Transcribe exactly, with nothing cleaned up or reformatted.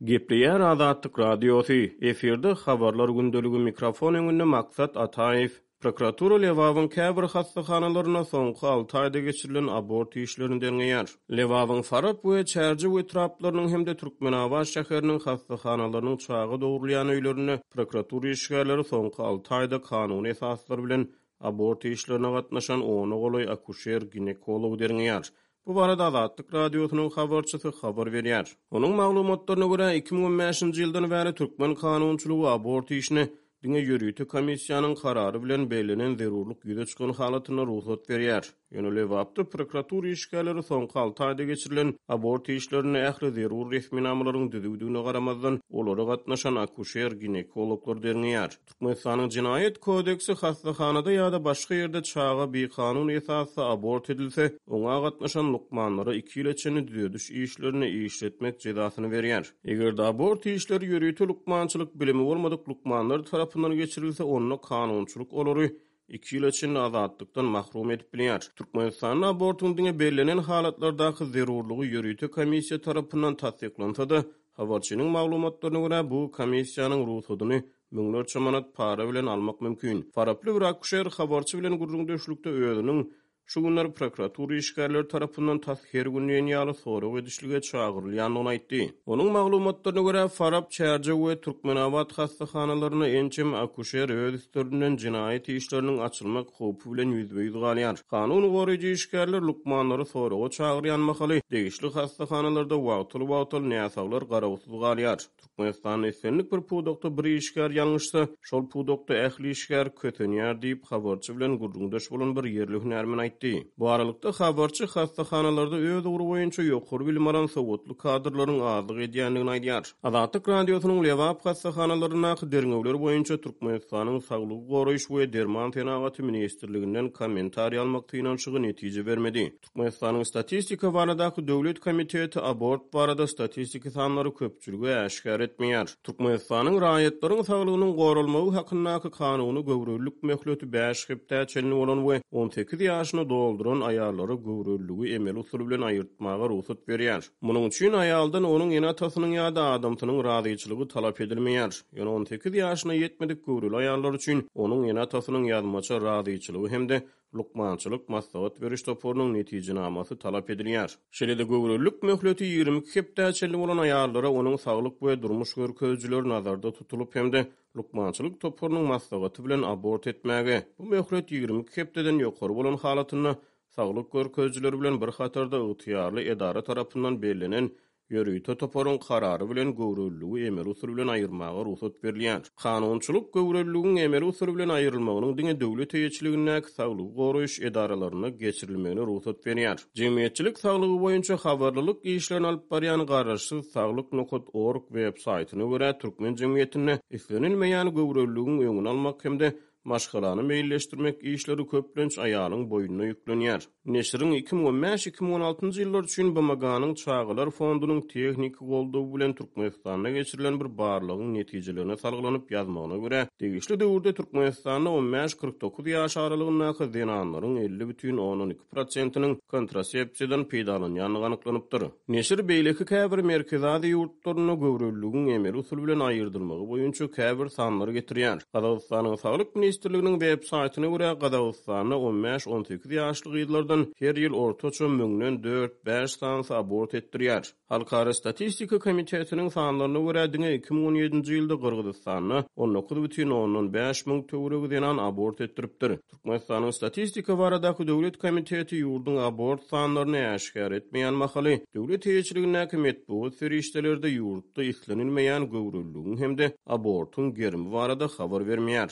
Gepleýär Azatlyk Radiosy, efirde Habarlar gündeligi, mikrofon öňünde Maksat Ataýew. Prokuratura Lebabyň käbir hassahanalarynda soňky alty aýda geçirilen abort işlerini derňeýär. Lebabyň Farap we Çärjew etraplarynyň hem-de Türkmenabat şäheriniň hassahanalarynyň çaga dogrulýan öýlerinde prokuratura işgärleri soňky alty aýda kanuny esaslar bilen abort işlerine gatnaşan ona golaý akuşer-ginekology derňeýär. Bu barada Azatlyk Radiosynyň habarçysy habar berýär. Onuň maglumatlaryna görä, iki müň on bäşinji ýyldan bäri türkmen kanunçylygy abort işine diňe ýörite komissiýanyň karary bilen bellenen zerurlyk ýüze çykan halatynda rugsat berýär. Ýöne Lebapda prokuratura işgärleri soňky alty aýda geçirilen abort işlerinde ähli zerur resminamalaryň düzüwdigine garamazdan, olara gatnaşan akuşer-ginekologlar derňeýär. Türkmenistanyň Jenaýat kodeksi hassahanada ýa-da başga ýerde çaga bikanun esasda abort edilse, oňa gatnaşan lukmanlara iki ýyla çenli düzediş işlerini işletmek jezasyny berýär. Eger-de abort işleri ýörite lukmançylyk bilimi bolmadyk lukmanlar tarapyndan geçirilse, onda kanunçylyk olary iki ýyla çenli azatlykdan mahrum edip bilýär. Türkmenistanda abortyň diňe bellenen halatlardaky zerurlygy ýörite komissiýa tarapyndan tassyklansa-da, habarçynyň maglumatlaryna görä, bu komissiýanyň rugsadyny müňlerçe manat para bilen almak mümkin. Faraply bir akuşer habarçy bilen gürrüňdeşlikde özüniň şu günler prokuratura işgärleri tarapyndan tas her gün diýen ýaly sorag edişlige çagyrylýandygyny aýtdy. Onuň maglumatlaryna görä, Farap, Çärjew we Türkmenabat hassahanalarynda ençeme akuşer öz üstlerinden jenaýat işleriniň açylmak howpy bilen ýüzbe-ýüz galýar. Kanun goraýjy işgärler lukmanlary soraga çagyrýan mahaly degişli hassahanalarda wagtal-wagtal näsaglar garawsyz galýar. Türkmenistanda islendik bir pudakda bir işgär ýalňyşsa, şol pudakda ähli işgär kösenýär diýip, habarçy bilen gürrüňdeş bolan bir ýerli hünärmen aýtdy. Bu aralykda habarçy hassahanalarda öz ugry boýunça ýokary bilim alan sowatly kadrlaryň azlyk edýändigini aýdýar. Azatlyk Radiosynyň Lebap hassahanalaryndaky derňewler boýunça Türkmenistanyň Saglygy goraýyş we derman senagaty ministrliginden kommentariý almak synanyşygy netije bermedi. Türkmenistanyň Statistika baradaky döwlet komiteti abort barada statistiki sanlary köpçülige äşgär etmeýär. Türkmenistanyň raýatlaryň saglygynyň goralmagy hakyndaky kanuny göwrelilik möhleti bäş hepdä çenli bolan we on sekiz ýaşyny dolduran aýallara göwreliligi emeli usul bilen aýyrtmaga rugsat berýär. Munuň üçin aýaldan onuň ene-atasynyň ýa-da adamsynyň razyçylygy talap edilmeýär. Ýöne on sekiz ýaşyna ýetmedik göwreli aýallar üçin onuň ene-atasynyň ýazmaça razyçylygy hem-de lukmançylyk maslahat beriş toparynyň netijenamasy talap edilýär. Şeýle-de göwrelilik möhleti ýigrimi iki hepdä çenli bolan aýallara onuň saglyk we durmuş görkezijileri nazarda tutulyp hem-de lukmançylyk toparynyň maslahaty bilen abort etmäge, bu möhlet ýigrimi iki hepdeden ýokary bolan halatynda saglyk görkezijileri bilen bir hatarda ygtyýarly edara tarapyndan bellenen ýörite toparyň karary bilen göwreliligi emeli usul bilen aýyrmaga rugsat berilýär. Kanunçylyk göwreliligiň emeli usul bilen aýrylmagynyň diňe döwlet eýeçiligindäki saglygy goraýyş edaralarynda geçirilmegine rugsat berýär. Jemgyýetçilik saglygy boýunça habarlylyk işlerini alyp barýan garaşsyz saglyk nokat org web saýtyna görä, türkmen jemgyýetinde islenilmeýän göwreliligiň öňüni almak hem-de maşgalany meýilleşdirmek işleri köplenç aýalyň boýnuna ýüklenýär. Neşiriň iki müň on bäş iki müň on altynjy ýyllar üçin B M G-nyň Çagalar fondunyň tehniki goldawy bilen Türkmenistanda geçirilen bir barlagyň netijelerine salgylanyp ýazmagyna görä, degişli döwürde Türkmenistanda on bäş kyrk dokuz ýaş aralygyndaky zenanlaryň elli bütin ondan iki prosentiniň kontrasepsiýadan peýdalanýandygy anyklanypdyr. Neşir beýleki käbir Merkezi Aziýa ýurtlarynda göwreliligiň emeli usul bilen aýyrdylmagy boýunça käbir sanlary getirýär. Gazagystanyň Saglyk Ministrliginiň web saýtyna görä, Gazagystanda on bäş on sekiz ýaşly gyzlardan her ýyl ortaça müňden dört bäş sanysy abort etdirýär. Halkara Statistika Komitetiniň sanlaryna görä, diňe iki müň on ýedinji ýylda Gyrgyzystanda on dokuz bütin ondan bäş müň töweregi zenan abort etdiripdir. Türkmenistanyň Statistika baradaky döwlet komiteti ýurduň abort sanlaryny äşgär etmeýän mahaly, döwlet eýeçiligindäki metbugat serişdelerde ýurtda islenilmeýän göwreliligiň hem-de abortyň gerimi barada habar bermeýär.